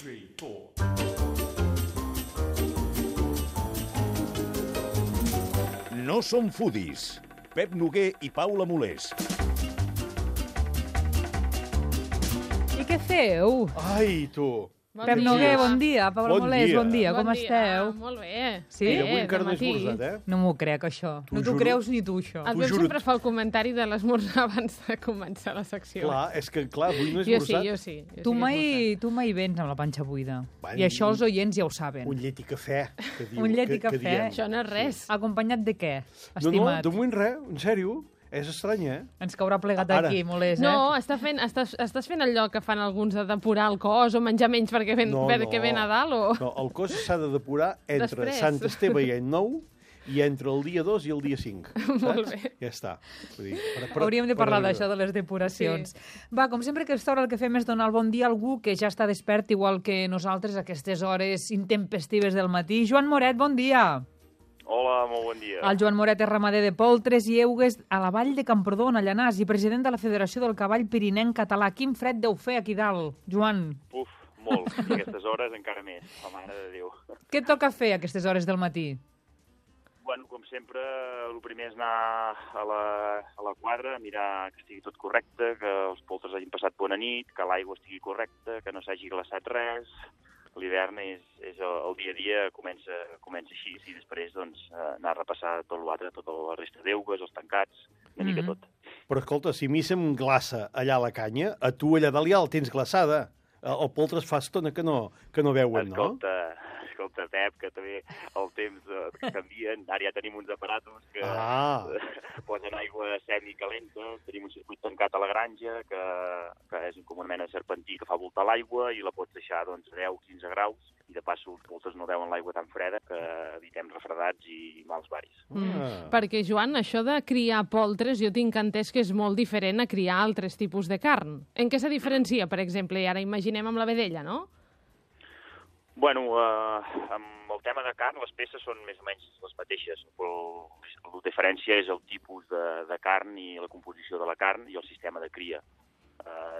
3, 4. No som foodies. Pep Noguer i Paula Molés. I què feu? Ai, tu. Pep Noguer, bon dia. Paula Molés, bon dia. Com esteu? Molt bé. Sí? I avui encara no he esmorzat, eh? No m'ho crec, això. No t'ho creus ni tu, això. El Pep sempre fa el comentari de l'esmorzar abans de començar la secció. Clar, és que, avui no he Jo esmorzat. sí. Tu mai vens amb la panxa buida. Bueno, I això els oients ja ho saben. Un llet i cafè, que diu. Un llet i que cafè. diem. Això no és res. Acompanyat de què, No, estimat? de moment res, en sèrio. És estrany, eh? Ens caurà plegat Ara. aquí, Molés, No, estàs fent allò que fan alguns de depurar el cos o menjar menys perquè ve Nadal o... No, el cos s'ha de depurar entre Després. Sant Esteve i Any Nou i entre el dia 2 i el dia 5. Saps? Molt bé. Ja està. Vull dir, Hauríem de parlar d'això, de les depuracions. Va, com sempre que a aquesta hora el que fem és donar el bon dia a algú que ja està despert, igual que nosaltres, a aquestes hores intempestives del matí. Joan Moret, bon dia. Hola, molt bon dia. El Joan Moret és ramader de poltres i eugues a la vall de Camprodon, a Llanàs, i president de la Federació del Cavall Pirinenc Català. Quin fred deu fer aquí dalt, Joan. Uf, molt. I aquestes hores encara més, la mare de Déu. Què et toca fer a aquestes hores del matí? Bueno, com sempre, el primer és anar a la quadra, mirar que estigui tot correcte, que els poltres hagin passat bona nit, que l'aigua estigui correcta, que no s'hagi glaçat res. L'hivern és el dia a dia, comença així, i després doncs, anar a repassar tot l'altre, tota la resta d'eugues, els tancats, una mica tot. Però escolta, si a mi se'm glaça allà a la canya, a tu allà dalt ja el tens glaçada. El poltre es fa estona que no veuen, no? Escolta, Pep, que també el temps canvien. Ara ja tenim uns aparatos que posen aigua semicalenta, tenim un circuit tancat a la granja, que és com una mena de serpentí que fa voltar l'aigua i la pots deixar doncs, a 10-15 graus, i de passo els poltres no veuen l'aigua tan freda que evitem refredats i mals varis. Perquè, Joan, això de criar poltres jo tinc entès que és molt diferent a criar altres tipus de carn. En què se diferencia, per exemple? I ara imaginem amb la vedella, no? Bueno, amb el tema de carn, les peces són més o menys les mateixes, però la diferència és el tipus de carn i la composició de la carn i el sistema de cria.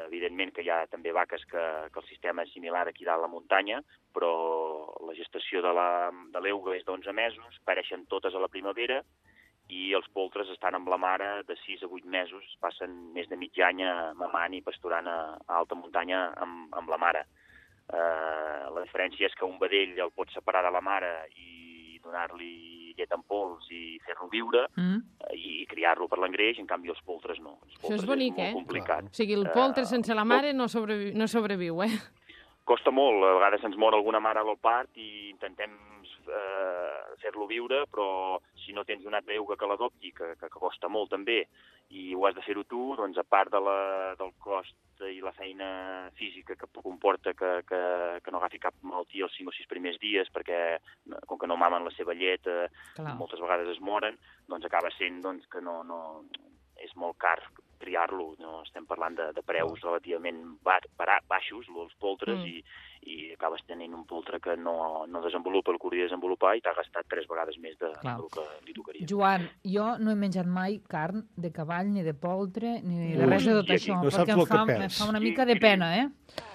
Evidentment que hi ha també vaques que el sistema és similar aquí dalt a la muntanya, però la gestació de l'euga és d'11 mesos, pareixen totes a la primavera, i els poltres estan amb la mare de 6 a 8 mesos, passen més de mig any mamant i pasturant a alta muntanya amb la mare. La diferència és que un vedell el pots separar de la mare i donar-li llet en pols i fer-lo viure i criar-lo per l'engreix, en canvi els poltres no. Això és bonic, molt complicat. O sigui, el poltre sense la mare no sobreviu, eh? Costa molt, a vegades ens mor alguna mare al part i intentem fer-lo viure, però si no tens una altra euga que l'adopti, que costa molt també, i ho has de fer-ho tu, doncs a part del cost i la feina física que comporta que no agafi cap malaltia els 5 o 6 primers dies, perquè com que no mamen la seva llet, moltes vegades es moren, doncs acaba sent que no és molt car criar-lo. No? Estem parlant de preus relativament baixos, els poltres, i acabes tenint un poltre que no desenvolupa el que hauria de desenvolupar i t'ha gastat 3 vegades més del que li tocaria. Joan, jo no he menjat mai carn de cavall, ni de poltre, ni de res de tot això, no perquè em fa una mica de pena, eh?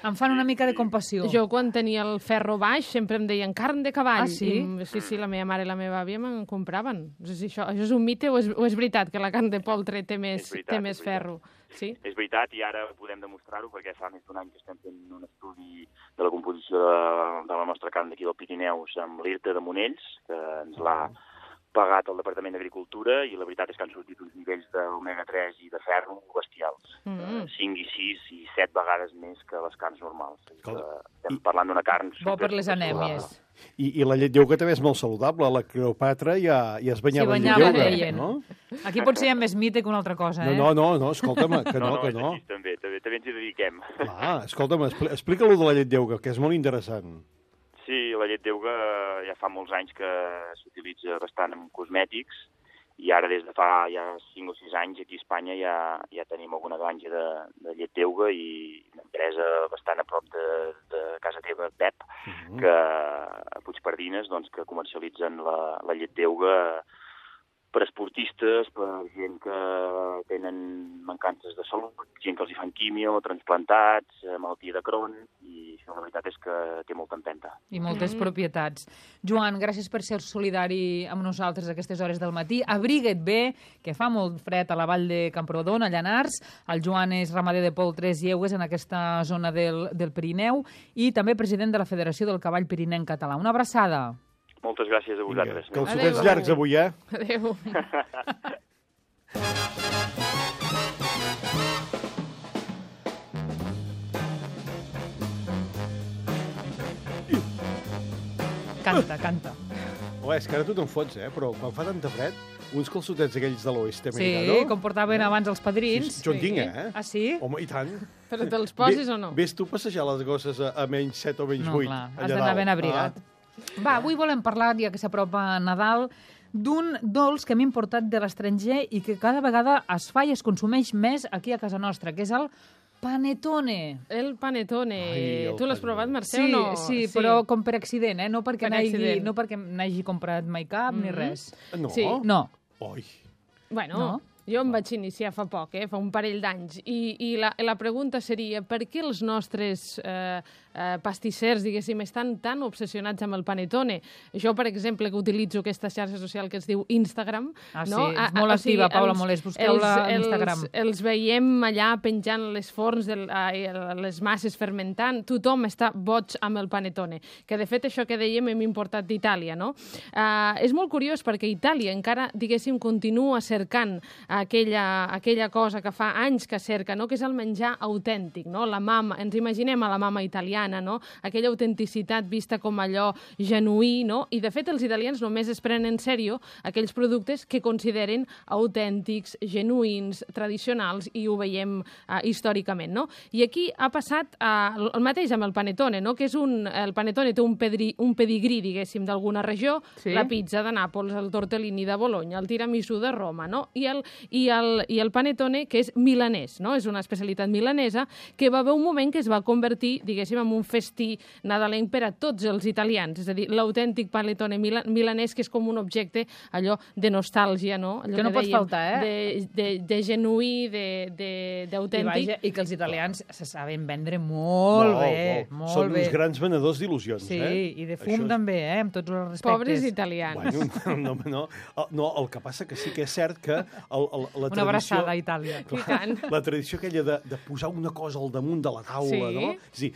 Em fan una mica de compassió. Jo, quan tenia el ferro baix, sempre em deien carn de cavall. Ah, sí? Sí, la meva mare i la meva àvia me'n compraven. No sé si això és un mite o és veritat que la carn de poltre té més ferro. Sí? És veritat, i ara podem demostrar-ho, perquè fa més d'un any que estem fent un estudi de la composició de la nostra carn d'aquí del Pirineus amb l'IRTA de Monells, que ens l'ha pagat el Departament d'Agricultura, i la veritat és que han sortit uns nivells d'omega-3 i de ferro bestials. 5 i 6 i 7 vegades més que les carns normals. Estem parlant d'una carn... Bo per les anèmies. I la llet d'euga també és molt saludable. La Cleopatra ja es banyava en llet d'euga, no? Aquí potser hi ha més mite que una altra cosa, eh? No, escolta'm, que no. No, també ens hi dediquem. Escolta'm, explica-lo de la llet d'euga, que és molt interessant. Sí, la llet d'euga ja fa molts anys que s'utilitza bastant en cosmètics, i ara des de fa ja 5 o 6 anys aquí a Espanya ja tenim alguna granja de llet d'euga i una empresa bastant a prop de casa teva, Pep, que a Puigpardines, doncs, que comercialitzen la llet d'euga per esportistes, per gent que tenen mancances de salut, gent que els hi fan quimio, transplantats, malaltia de Crohn, i això la veritat és que té molta empenta. I moltes propietats. Joan, gràcies per ser solidari amb nosaltres a aquestes hores del matí. Abriga't bé, que fa molt fred a la vall de Camprodon, a Llanars. El Joan és ramader de poltres i eugues en aquesta zona del Pirineu i també president de la Federació del Cavall Pirinenc Català. Una abraçada. Moltes gràcies a vosaltres. Que els sotets llargs avui, eh? Adéu. Canta, canta. És que ara tu te'n fots, però quan fa tanta fred, uns calçotets aquells de l'oest americà, Sí, com portaven abans els padrins. Jo en tinc, Ah, sí? Home, i tant. Però te'ls posis o no? Ves tu a passejar les gosses a menys 7 o menys 8. No, clar, has d'anar ben abrigat. Va, avui volem parlar, ja que s'apropa Nadal, d'un dolç que hem importat de l'estranger i que cada vegada es fa i es consumeix més aquí a casa nostra, que és el panetone. El panetone. Ai, el Tu l'has panetone. provat, Mercè, Sí, o no? sí, però com per accident, no perquè Per accident. no perquè n'hagi comprat mai cap ni res. No? Sí. No. Oi. Bueno, No? jo em vaig iniciar fa poc, fa un parell d'anys, i la pregunta seria per què els nostres pastissers, diguéssim, estan tan obsessionats amb el panetone? Jo, per exemple, que utilitzo aquesta xarxa social que es diu Instagram... Ah, sí, no? és molt activa, Paula Molés, busqueu-la a Instagram. Els veiem allà penjant les forns, les masses fermentant, tothom està boig amb el panetone, que de fet això que dèiem hem importat d'Itàlia, no? És molt curiós perquè Itàlia encara, diguéssim, continua cercant aquella cosa que fa anys que cerca, no? Que és el menjar autèntic, no? La mama, ens imaginem a la mama italiana, no? Aquella autenticitat vista com allò genuí, no? I de fet els italians només es prenen en sèrio aquells productes que consideren autèntics, genuïns, tradicionals, i ho veiem històricament, no? I aquí ha passat el mateix amb el panetone, no? Que és el panetone té un pedigrí, diguéssim, d'alguna regió, Sí. la pizza de Nàpols, el tortellini de Bologna, el tiramisú de Roma, no? I el panetone, que és milanès, no? És una especialitat milanesa que va haver un moment que es va convertir, diguéssim, en un festí nadalenc per a tots els italians, és a dir, l'autèntic panetone milanès, que és com un objecte, allò de nostàlgia, no? Allò Que no pot dèiem, faltar, de genuí, d'autèntic. I que els italians se saben vendre molt bé, molt Són bé. uns grans venedors d'il·lusions, Sí, eh? i de fum també, amb tots els respectes. Pobres italians. Bueno, no, el que passa que sí que és cert que la tradició... Una abraçada a Itàlia. I tant. La tradició aquella de posar una cosa al damunt de la taula, Sí. no? És a dir,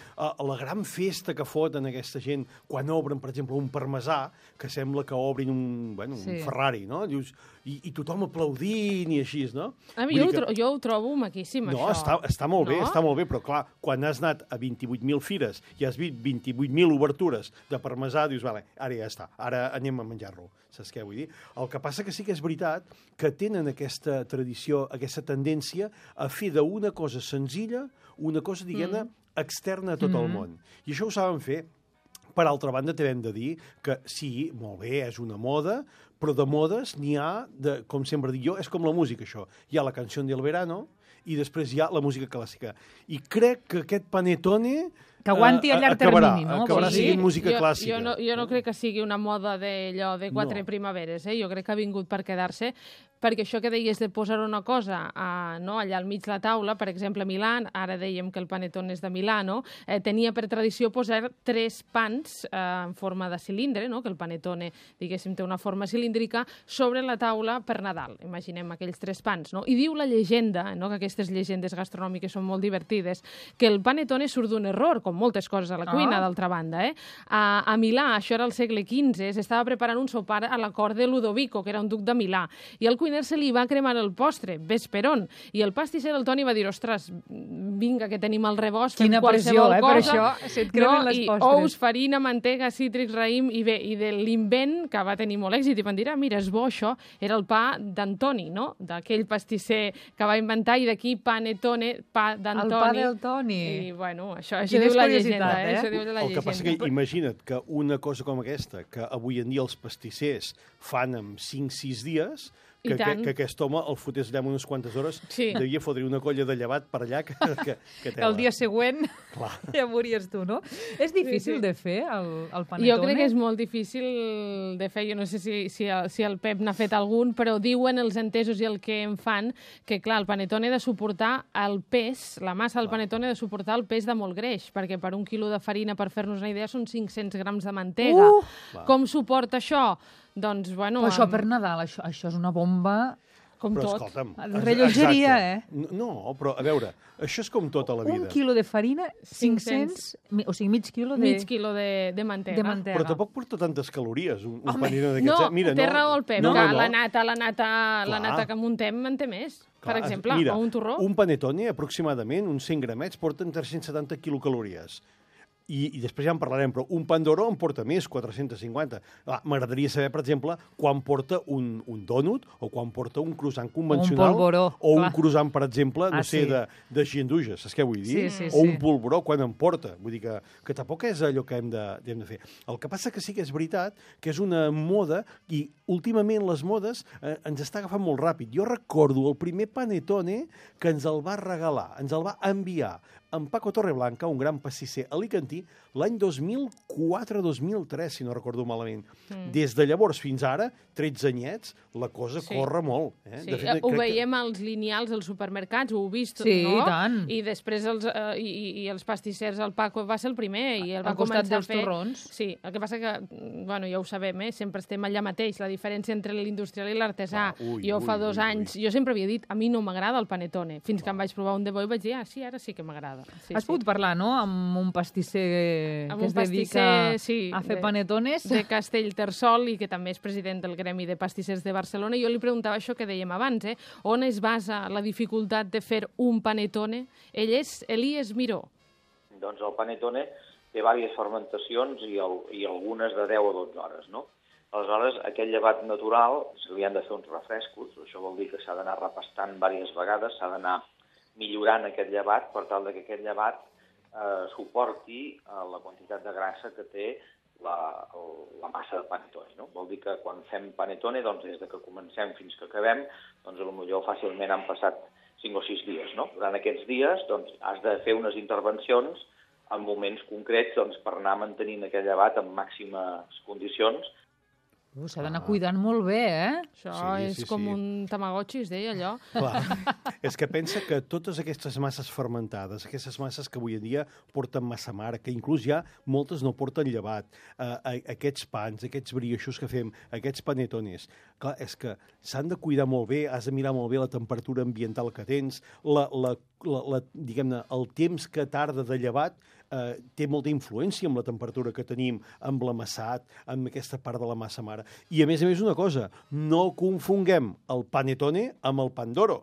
la gran festa que foten aquesta gent quan obren, per exemple, un parmesà, que sembla que obrin un Sí. Ferrari, no? Dius, i tothom aplaudint i així, no? A mi, jo ho trobo maquíssim, No, això. està molt bé, No? està molt bé, però clar, quan has anat a 28.000 fires i has vist 28.000 obertures de parmesà, dius, vale, ara ja està, ara anem a menjar-lo. Saps què vull dir? El que passa que sí que és veritat que tenen aquesta tradició, aquesta tendència a fer d'una cosa senzilla una cosa, diguem-ne, externa a tot el món. I això ho saben fer. Per altra banda, també hem de dir que sí, molt bé, és una moda, però de modes n'hi ha, com sempre dic jo, és com la música, això. Hi ha la canció del verano i després hi ha la música clàssica. I crec que aquest panetone... Que aguanti a llarg termini, no? Acabarà Vols dir? sent música clàssica. Jo no crec que sigui una moda d'allò de quatre primaveres, Jo crec que ha vingut per quedar-se, perquè això que deies de posar una cosa allà al mig de la taula, per exemple, a Milà, ara dèiem que el panetone és de Milà, tenia per tradició posar 3 pans en forma de cilindre, que el panetone, diguéssim, té una forma cilíndrica, sobre la taula per Nadal. Imaginem aquells 3 pans, I diu la llegenda, que aquestes llegendes gastronòmiques són molt divertides, que el panetone surt d'un error, com moltes coses a la cuina, d'altra banda. A Milà, això era al segle XV, s'estava preparant un sopar a la cort de Ludovico, que era un duc de Milà, i al cuiner se li va cremar el postre, vesperon, i el pastisser, el Toni, va dir, ostres, vinga, que tenim el rebost, fem qualsevol cosa. Per això se't cremen les postres. Ous, farina, mantega, cítrics, raïm, i bé, i de l'invent, que va tenir molt èxit, i van dir, mira, és bo això, era el pa d'Antoni, d'aquell pastisser que va inventar, i d'aquí panetone, pa d'Antoni. El pa del Toni. I, bueno, això diu la llegenda, Això diu la El que passa que llegenda. imagina't que una cosa com aquesta, que avui en dia els pastissers fan en 5-6 dies, que aquest home el fotés allà unes quantes hores, devia fotre una colla de llevat per allà que el dia següent ja mories tu, no? És difícil de fer, el panetone? Jo crec que és molt difícil de fer. Jo no sé si el Pep n'ha fet algun, però diuen els entesos i el que en fan que, clar, el panetone ha de suportar el pes, la massa del panetone ha de suportar el pes de molt greix, perquè per 1 quilo de farina, per fer-nos una idea, són 500 grams de mantega. Com suporta això? Doncs, bueno... Però això per Nadal, això és una bomba... Com però, tot. Escolta'm, rellotgeria, No, però a veure, això és com tota la vida. 1 quilo de farina, 500... O sigui, mig quilo de... Mig quilo de mantega. Però tampoc porta tantes calories, un panino d'aquests. No, té raó el Pep, que la nata que muntem en té més. Per exemple, o un torró. Un panetone, aproximadament, uns 100 gramets, porten 370 quilocalories. I després ja en parlarem, però un pan d'oro en porta més, 450. M'agradaria saber, per exemple, quan porta un dònut o quan porta un croissant convencional. Un polvoró. O un croissant, per exemple, de ginduja, saps què vull dir? O un polvoró, quan en porta. Vull dir que tampoc és allò que hem de fer. El que passa que sí que és veritat que és una moda i últimament les modes ens està agafant molt ràpid. Jo recordo el primer panetone que ens el va regalar, ens el va enviar en Paco Torreblanca, un gran pastisser alicantí, l'any 2004-2003, si no recordo malament. Des de llavors fins ara, 13 anyets, la cosa corre molt. De fet, ho veiem als lineals als supermercats, ho heu vist, no? Sí, i tant. I després els pastissers, el Paco va ser el primer i el va costat començar dels a fer... torrons. Sí, el que passa que, bueno, ja ho sabem, sempre estem allà mateix, la diferència entre l'industrial i l'artesà. Jo fa 2 anys, jo sempre havia dit, a mi no m'agrada el panetone, fins que em vaig provar un de bo i vaig dir, sí, ara sí que m'agrada. Has pogut parlar, no?, amb un pastisser que es dedica a fer panetones. De Castellterçol i que també és president del Gremi de Pastissers de Barcelona. Jo li preguntava això que dèiem abans, on es basa la dificultat de fer un panetone? Ell és Elies Miró. Doncs el panetone té diverses fermentacions i algunes de 10 o 12 hores, no? Aleshores, aquest llevat natural, se li han de fer uns refrescos, això vol dir que s'ha d'anar repastant diverses vegades, s'ha d'anar millorant aquest llevat per tal que aquest llevat suporti la quantitat de grassa que té la massa de panetone. No? Vol dir que quan fem panetone, doncs, des que comencem fins que acabem, doncs potser fàcilment han passat 5 o 6 dies. No? Durant aquests dies doncs, has de fer unes intervencions en moments concrets doncs, per anar mantenint aquest llevat en màximes condicions. S'ha d'anar cuidant molt bé, Això és com un tamagotxi, es deia allò. Clar, és que pensa que totes aquestes masses fermentades, aquestes masses que avui en dia porten massa mare, que inclús ja moltes no porten llevat, aquests pans, aquests brioixos que fem, aquests panetones, clar, és que s'han de cuidar molt bé, has de mirar molt bé la temperatura ambiental que tens, diguem-ne, el temps que tarda de llevat té molta influència amb la temperatura que tenim, amb l'amassat, amb aquesta part de la massa mare. I a més una cosa, no confonguem el panetone amb el pan d'oro.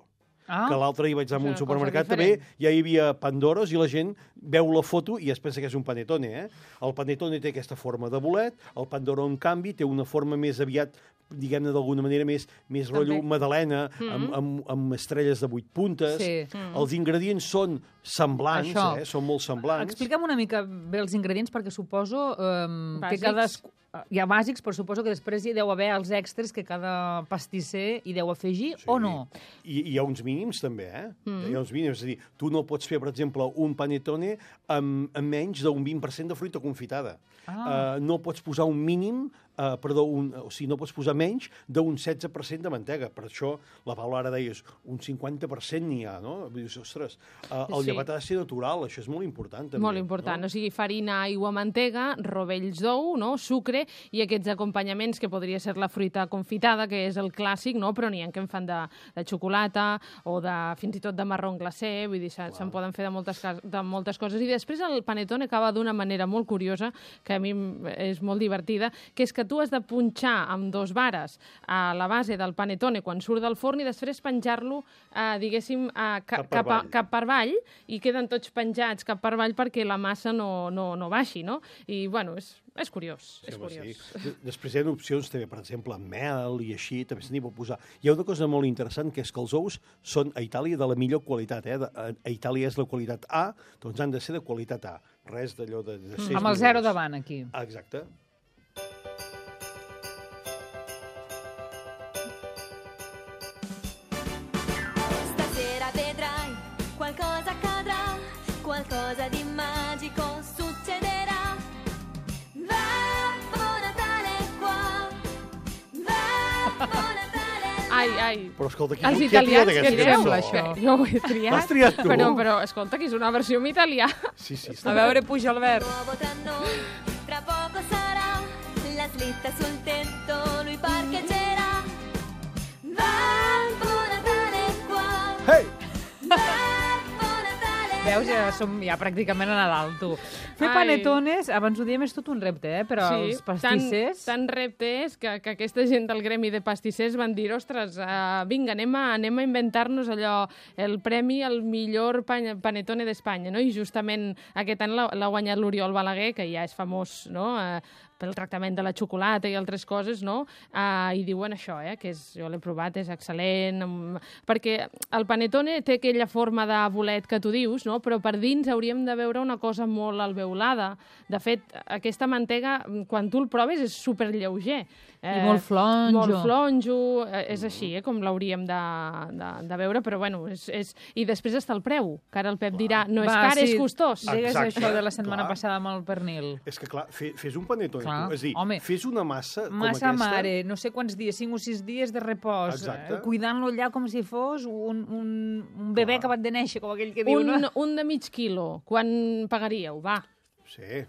Que l'altre dia vaig anar a un supermercat també, ja hi havia pandoros i la gent veu la foto i es pensa que és un panetone. El panetone té aquesta forma de bolet, el pan d'oro, en canvi, té una forma més aviat, diguem-ne d'alguna manera, més rotllo magdalena, amb estrelles de 8 puntes. Els ingredients són semblants, són molt semblants. Explica'm una mica bé els ingredients, perquè suposo que hi ha bàsics, però suposo que després hi deu haver els extras que cada pastisser hi deu afegir, o no? I hi ha uns mínims, també, Hi ha uns mínims, és a dir, tu no pots fer, per exemple, un panetone amb menys d'un 20% de fruita confitada. No pots posar un mínim, o sigui, no pots posar menys d'un 16% de mantega. Per això, la Paula ara deies, un 50% n'hi ha, no? Dius, ostres, el llevat ha de ser natural, això és molt important, també. Molt important, o sigui, farina, aigua, mantega, rovells d'ou, sucre, i aquests acompanyaments que podria ser la fruita confitada, que és el clàssic, però n'hi ha que en fan de xocolata o fins i tot de marró glacé, vull dir, se'n poden fer de moltes coses. I després el panetone acaba d'una manera molt curiosa, que a mi és molt divertida, que és que tu has de punxar amb 2 vares a la base del panetone quan surt del forn i després penjar-lo, diguéssim, cap per avall, i queden tots penjats cap per avall perquè la massa no baixi, no? I, bueno, és curiós, és curiós. Després hi ha opcions també, per exemple, amb mel i així, també se n'hi pot posar. Hi ha una cosa molt interessant, que és que els ous són a Itàlia de la millor qualitat. A Itàlia és la qualitat A, doncs han de ser de qualitat A. Res d'allò de ser... Amb el 0 davant, aquí. Exacte. Ai. Però escolta, Els qui ha italians, triat què aquesta sembla, cançó? això? Jo ho he triat. L'has triat tu? Però, escolta, que és una versió en italià. Sí, A veure, puja, Albert. Nuovo tra noi, tra poco sarà la slitta sul tetto, lui parcheggerà. Babbo Natale qua, Hey! Babbo Natale Veus, ja som ja pràcticament a Nadal, tu. Fer Ai. panetones, abans ho diem, és tot un repte, però els pastissers... Tant repte és que aquesta gent del gremi de pastissers van dir, ostres, vinga, anem a inventar-nos allò, el premi al millor panetone d'Espanya, no? I justament aquest any l'ha guanyat l'Oriol Balaguer, que ja és famós, no?, pel tractament de la xocolata i altres coses, no? I diuen això, que jo l'he provat, és excel·lent, perquè el panetone té aquella forma de bolet que tu dius, no? Però per dins hauríem de veure una cosa molt alveolada. De fet, aquesta mantega, quan tu el proves, és superlleuger. I molt flonjo. Molt flonjo, és així, com l'hauríem de veure, però bueno, i després està el preu, que ara el Pep dirà, no és car, és costós. Digues Exacte. això de la setmana Clar. passada amb el pernil. És que, clar, fes un panetone, Clar, tu. És a dir, home. fes una massa com Massa aquesta... mare, no sé quants dies, 5 o 6 dies de repòs, Exacte. cuidant-lo allà com si fos un bebè Clar. acabat de néixer, com aquell que diu, no? Un de mig quilo, quan pagaríeu? Va. Sí,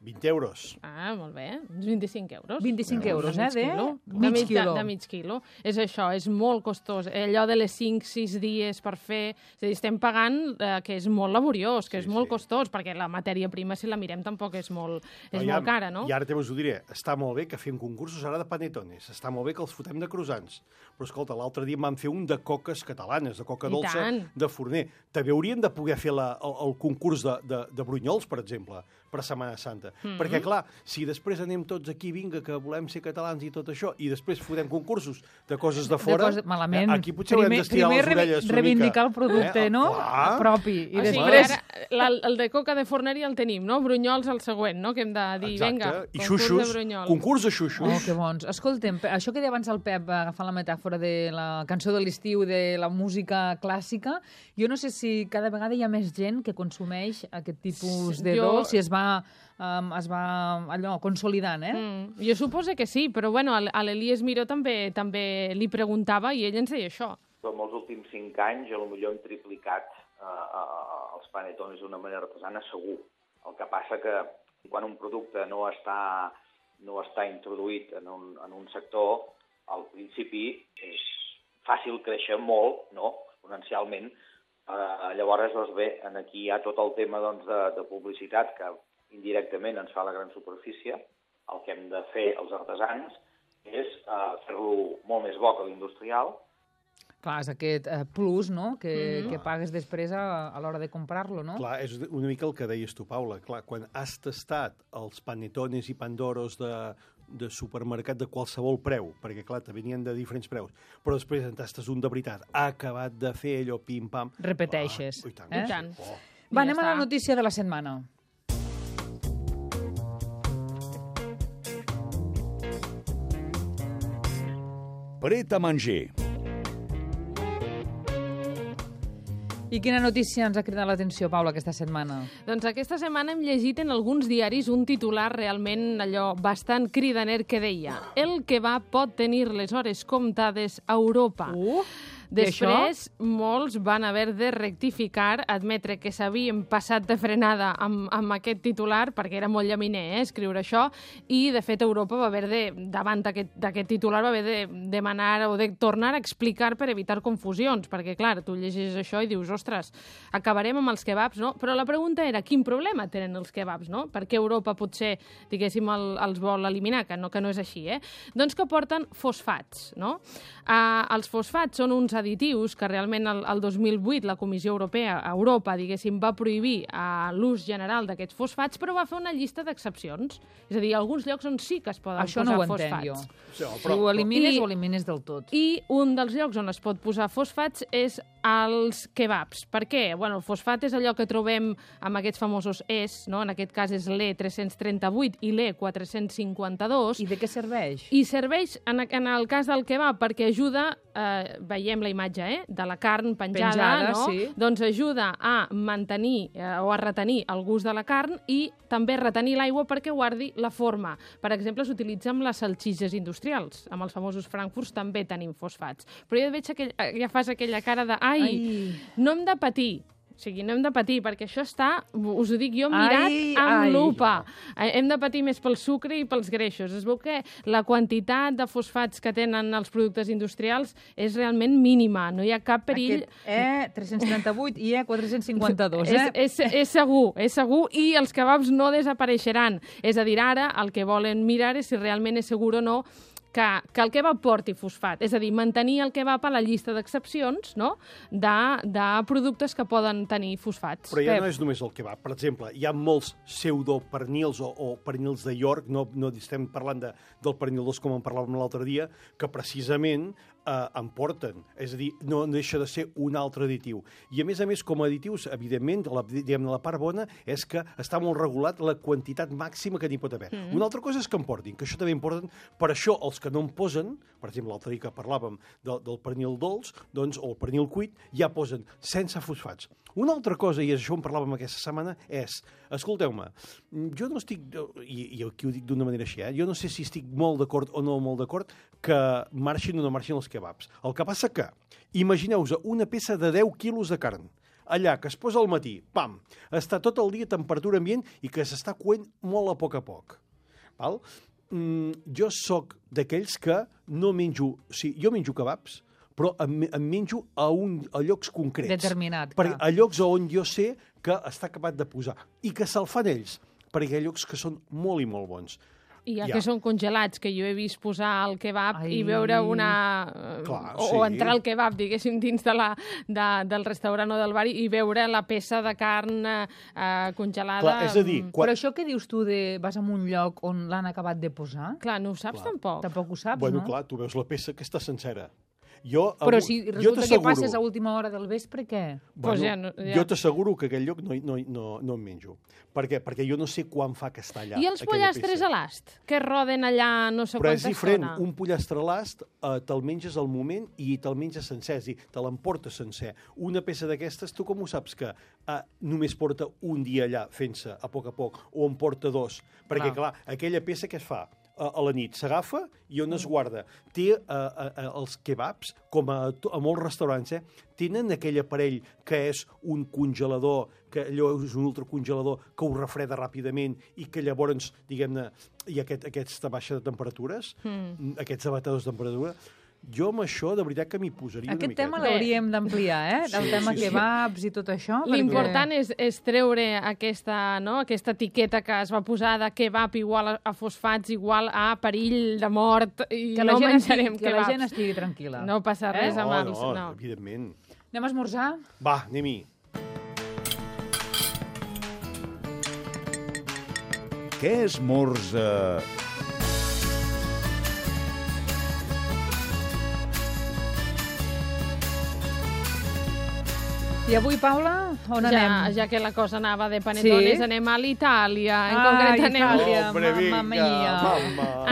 20 euros. Molt bé, uns 25 euros. 25 euros, De mig de quilo. mig quilo. De mig quilo. És això, és molt costós. Allò de les 5-6 dies per fer... És a dir, estem pagant que és molt laboriós, que és molt costós, perquè la matèria prima, si la mirem, tampoc és molt cara, no? I ara també us ho diré, està molt bé que fem concursos ara de panetones, està molt bé que els fotem de croissants, però escolta, l'altre dia en vam fer un de coques catalanes, de coca I dolça, tant. de forner. També haurien de poder fer el concurs de brunyols, per exemple, per Setmana Santa. Perquè, clar, si després anem tots aquí, vinga, que volem ser catalans i tot això, i després fotem concursos de coses de fora, malament. Aquí potser haurem d'estirar les orelles una reivindicar mica. el producte, no? Clar. Propi. I O sigui, després... ara, el de coca de forneria el tenim, no? Brunyols el següent, no? Que hem de dir, Exacte. vinga, I concurs xuxos, de brunyols. concurs de xuxos. Oh, que bons. Escolta'm, això que deia abans el Pep, agafant la metàfora de la cançó de l'estiu, de la música clàssica, jo no sé si cada vegada hi ha més gent que consumeix aquest tipus de dolç i es va allò, consolidant, Jo suposo que sí, però bueno, a l'Elies Miró també li preguntava i ell ens deia això. En els últims 5 anys, potser hem triplicat els panetones d'una manera artesana, segur. El que passa que quan un producte no està introduït en un sector, al principi és fàcil créixer molt, no?, exponencialment. Llavors, doncs bé, aquí hi ha tot el tema de publicitat que indirectament ens fa la gran superfície. El que hem de fer els artesans és fer-lo molt més bo que l'industrial. Clar, és aquest plus, no?, que pagues després a l'hora de comprar-lo, no? Clar, és una mica el que deies tu, Paula. Clar, quan has tastat els panetones i pandoros de supermercat de qualsevol preu, perquè, clar, te venien de diferents preus, però després en tastes un de veritat, ha acabat de fer allò pim-pam... Repeteixes. I tant. I tant. Oh. Va, anem a la notícia de la setmana. Pret a manger. I quina notícia ens ha cridat l'atenció, Paula, aquesta setmana? Doncs aquesta setmana hem llegit en alguns diaris un titular realment allò bastant cridaner que deia: el kebab pot tenir les hores comptades a Europa. Després, molts van haver de rectificar, admetre que s'havien passat de frenada amb aquest titular, perquè era molt llaminer, escriure això, i, de fet, Europa va haver de, davant d'aquest titular, va haver de demanar o de tornar a explicar per evitar confusions, perquè, clar, tu llegeixes això i dius, ostres, acabarem amb els kebabs, no? Però la pregunta era, quin problema tenen els kebabs, no? Per què Europa potser, diguéssim, els vol eliminar, que no és així, Doncs que porten fosfats, no? Els fosfats són uns additius que realment el 2008 la Comissió Europea a Europa, diguéssim, va prohibir l'ús general d'aquests fosfats, però va fer una llista d'excepcions. És a dir, alguns llocs on sí que es poden Això posar no ho fosfats. entenc jo. Sí, Si ho elimines, ho elimines del tot. I un dels llocs on es pot posar fosfats és als kebabs. Per què? Bueno, el fosfat és allò que trobem amb aquests famosos ES, no? En aquest cas és l'E338 i l'E452. I de què serveix? I serveix, en el cas del kebab, perquè ajuda, veiem la imatge, de la carn penjada, no? Sí. Doncs ajuda a mantenir o a retenir el gust de la carn i també retenir l'aigua perquè guardi la forma. Per exemple, s'utilitza amb les salsitxes industrials. Amb els famosos frankfurts també tenim fosfats. Però jo veig que ja fas aquella cara de no hem de patir. O sigui, no hem de patir, perquè això està, us ho dic jo, mirat amb lupa. Hem de patir més pel sucre i pels greixos. Es veu que la quantitat de fosfats que tenen els productes industrials és realment mínima. No hi ha cap perill. Aquest E338 i E452, És segur. I els kebabs no desapareixeran. És a dir, ara el que volen mirar és si realment és segur o no que el kebab porti fosfat. És a dir, mantenir el kebab a la llista d'excepcions, no?, de productes que poden tenir fosfats. Però ja no és només el kebab. Per exemple, hi ha molts pseudopernils o pernils de York, no estem parlant del pernil dolç com en parlàvem l'altre dia, que precisament en porten. És a dir, no deixa de ser un altre additiu. I a més, com a additius, evidentment, la part bona és que està molt regulat la quantitat màxima que n'hi pot haver. Una altra cosa és que en portin, que això també importen. Per això, els que no en posen, per exemple, l'altre dia que parlàvem del pernil dolç, doncs, o el pernil cuit, ja posen sense fosfats. Una altra cosa, i això en parlàvem aquesta setmana, és, escolteu-me, jo no estic, i aquí ho dic d'una manera així, jo no sé si estic molt d'acord o no molt d'acord que marxin o no marxin els kebabs. El que passa que, imagineu-vos una peça de 10 quilos de carn, allà, que es posa al matí, pam, està tot el dia a temperatura ambient i que s'està coent molt a poc. Val? Jo sóc d'aquells que no menjo... O sigui, jo menjo kebabs, però em menjo a llocs concrets. Determinat, clar. A llocs on jo sé que està acabat de posar. I que se'l fan ells, perquè hi ha llocs que són molt i molt bons. I que són congelats, que jo he vist posar el kebab i veure o entrar al kebab, diguéssim, dins del restaurant o del bar i veure la peça de carn congelada. Clar, és a dir... Però això que dius tu de vas a un lloc on l'han acabat de posar? Clar, no ho saps tampoc. Tampoc ho saps, no? Clar, tu veus la peça que està sencera. Però si resulta que passes a última hora del vespre, què? Jo t'asseguro que aquell lloc no em menjo. Per què? Perquè jo no sé quan fa que està allà. I els pollastres a l'ast, que roden allà no sé quanta estona? Però és diferent. Un pollastre a l'ast te'l menges al moment i te'l menges sencer, és a dir, te l'emportes sencer. Una peça d'aquestes, tu com ho saps que només porta un dia allà fent-se a poc o en porta dos? Perquè, clar, aquella peça què es fa? A la nit s'agafa i on es guarda. Té els kebabs, com a molts restaurants, tenen aquell aparell que és un congelador, que allò és un ultracongelador que ho refreda ràpidament i que llavors, diguem-ne, hi ha aquesta baixa de temperatures, aquests abatadors de temperatura. Jo amb això, de veritat, que m'hi posaria una miqueta. Aquest tema l'hauríem d'ampliar, del tema kebabs i tot això. L'important és treure aquesta etiqueta que es va posar de kebab igual a fosfats, igual a perill de mort, i no menjarem kebabs. Que la gent estigui tranquil·la. No passa res amb els... No, evidentment. Anem a esmorzar? Va, anem-hi. Què esmorza... I avui, Paula, on anem? Ja que la cosa anava de panetones, anem a l'Itàlia. En concret anem... Mamma mia.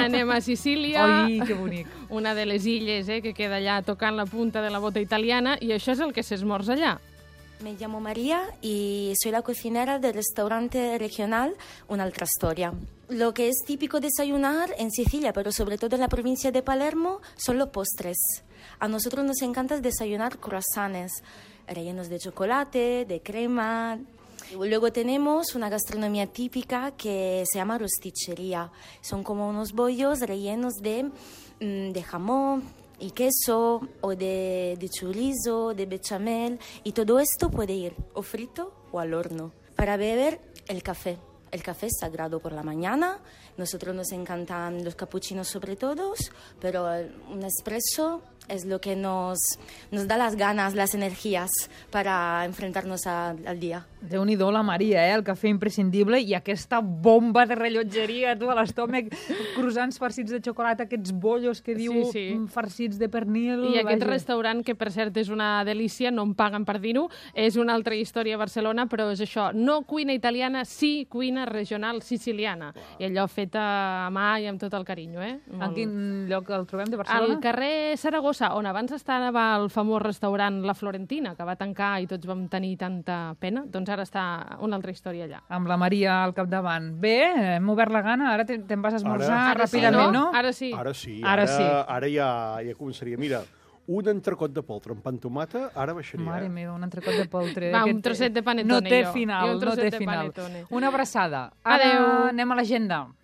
Anem a Sicília. Ai, que bonic. Una de les illes que queda allà tocant la punta de la bota italiana, i això és el que s'esmorza allà. Me llamo María y soy la cocinera del restaurante regional Un'altra Storia. Lo que es típico desayunar en Sicilia, pero sobre todo en la provincia de Palermo, son los postres. A nosotros nos encanta desayunar croissants rellenos de chocolate, de crema. Luego tenemos una gastronomía típica que se llama rosticcería. Son como unos bollos rellenos de jamón y queso, o de chorizo, de bechamel, y todo esto puede ir o frito o al horno. Para beber, el café. El café es sagrado por la mañana. Nosotros nos encantan los capuchinos sobre todo, pero un espresso es lo que nos da las ganas, las energías para enfrentarnos al día. Déu-n'hi-do la Maria, el cafè imprescindible i aquesta bomba de rellotgeria, tu, a l'estómac, croissants farcits de xocolata, aquests bollos que diu farcits de pernil... I aquest restaurant, que per cert és una delícia, no em paguen per dir-ho, és una altra història a Barcelona, però és això, no cuina italiana, sí cuina regional siciliana, i allò fet a mà i amb tot el carinyo, En quin lloc el trobem de Barcelona? Al carrer Saragossa, on abans estava el famós restaurant La Florentina, que va tancar i tots vam tenir tanta pena, doncs ara està una altra història allà. Amb la Maria al capdavant. Bé, hem obert la gana, ara te'n vas a esmorzar ràpidament, no? Ara sí. Ara ja començaria. Mira, un entrecot de poltre amb pa amb tomata, ara baixaria. Mare meva, un entrecot de poltre. Va, un trosset de panetone, no té final, no té final. Una abraçada. Ara anem a l'agenda.